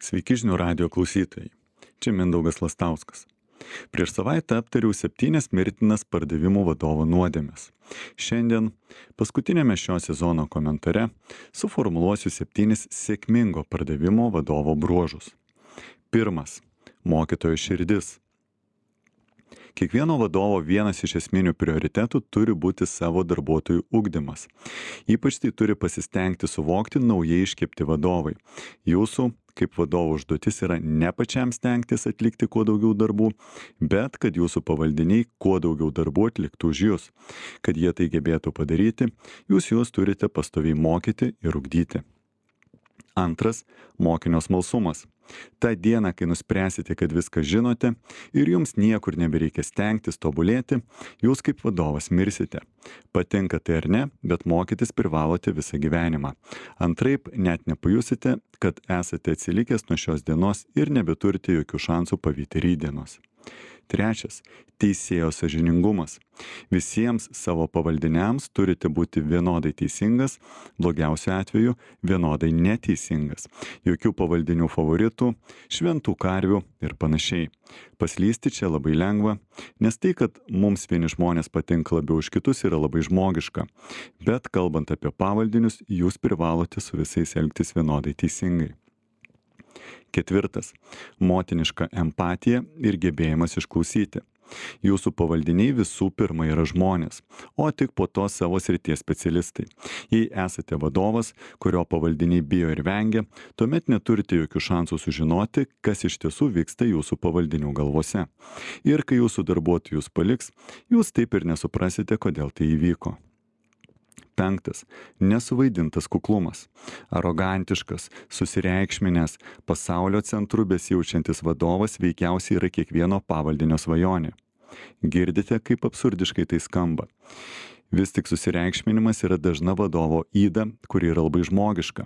Sveiki žinių radio klausytojai. Čia Mindaugas Lastauskas. Prieš savaitę aptariau 7 mirtinas pardavimų vadovo nuodėmes. Šiandien, paskutinėme šio sezono komentare, suformuluosiu 7 sėkmingo pardavimo vadovo bruožus. 1. Mokytojo širdis. Kiekvieno vadovo vienas iš esminių prioritetų turi būti savo darbuotojų ugdymas. Ypač tai turi pasistengti suvokti naujai iškepti vadovai. Jūsų, kaip vadovo užduotis, yra ne pačiam stengtis atlikti kuo daugiau darbų, bet kad jūsų pavaldiniai kuo daugiau darbų atliktų už jūs. Kad jie tai gebėtų padaryti, jūs juos turite pastoviai mokyti ir ugdyti. 2. Mokinio smalsumas. Ta diena, kai nuspręsite, kad viską žinote ir jums niekur nebereikia stengtis tobulėti, jūs kaip vadovas mirsite. Patinka tai ar ne, bet mokytis privalote visą gyvenimą. Antraip net nepajusite, kad esate atsilikęs nuo šios dienos ir nebeturite jokių šansų pavyti rytdienos. 3. Teisėjo sąžiningumas. Visiems savo pavaldiniams turite būti vienodai teisingas, blogiausiu atveju vienodai neteisingas. Jokių pavaldinių favoritų, šventų karvių ir panašiai. Paslysti čia labai lengva, nes tai, kad mums vieni žmonės patinka labiau už kitus, yra labai žmogiška. Bet kalbant apie pavaldinius, jūs privalote su visais elgtis vienodai teisingai. 4. Motiniška empatija ir gebėjimas išklausyti. Jūsų pavaldiniai visų pirma yra žmonės, o tik po to savo srities specialistai. Jei esate vadovas, kurio pavaldiniai bijo ir vengia, tuomet neturite jokių šansų sužinoti, kas iš tiesų vyksta jūsų pavaldinių galvose. Ir kai jūsų darbuotojus paliks, jūs taip ir nesuprasite, kodėl tai įvyko. 5. Nesuvaidintas kuklumas. Arogantiškas, susireikšminęs, pasaulio centru besijaučiantis vadovas veikiausiai yra kiekvieno pavaldinio svajonė. Girdite, kaip absurdiškai tai skamba. Vis tik susireikšminimas yra dažna vadovo yda, kuri yra labai žmogiška.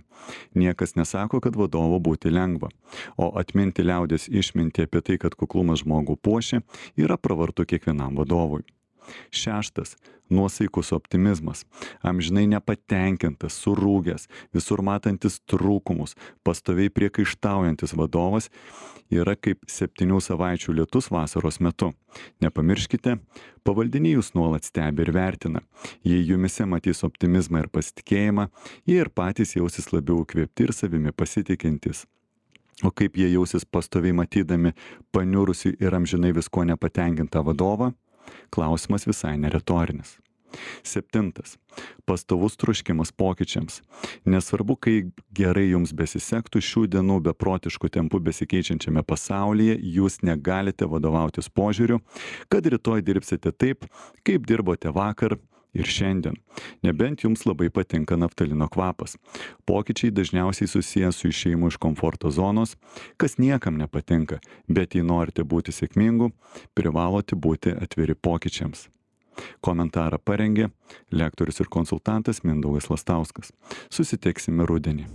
Niekas nesako, kad vadovo būti lengva, o atminti liaudies išmintį apie tai, kad kuklumas žmogų puošia, yra pravartu kiekvienam vadovui. 6. Nuosaikus optimizmas. Amžinai nepatenkintas, surūgęs, visur matantis trūkumus, pastoviai priekaištaujantis vadovas yra kaip 7 savaičių lietus vasaros metu. Nepamirškite, pavaldiniai jūs nuolat stebi ir vertina. Jei jumise matys optimizmą ir pasitikėjimą, jie ir patys jausis labiau įkvėpti ir savimi pasitikintys. O kaip jie jausis pastoviai matydami paniurusi ir amžinai visko nepatenkintą vadovą? Klausimas visai neretorinis. 7. Pastovus troškimas pokyčiams. Nesvarbu, kai gerai jums besisektų šių dienų beprotiškų tempų besikeičiančiame pasaulyje, jūs negalite vadovautis požiūriu, kad rytoj dirbsite taip, kaip dirbote vakar ir šiandien. Nebent jums labai patinka naftalino kvapas. Pokyčiai dažniausiai susijęs su išėjimu iš komforto zonos, kas niekam nepatinka, bet jei norite būti sėkmingu, privalote būti atviri pokyčiams. Komentarą parengė lektorius ir konsultantas Mindaugas Lastauskas. Susitiksime rudenį.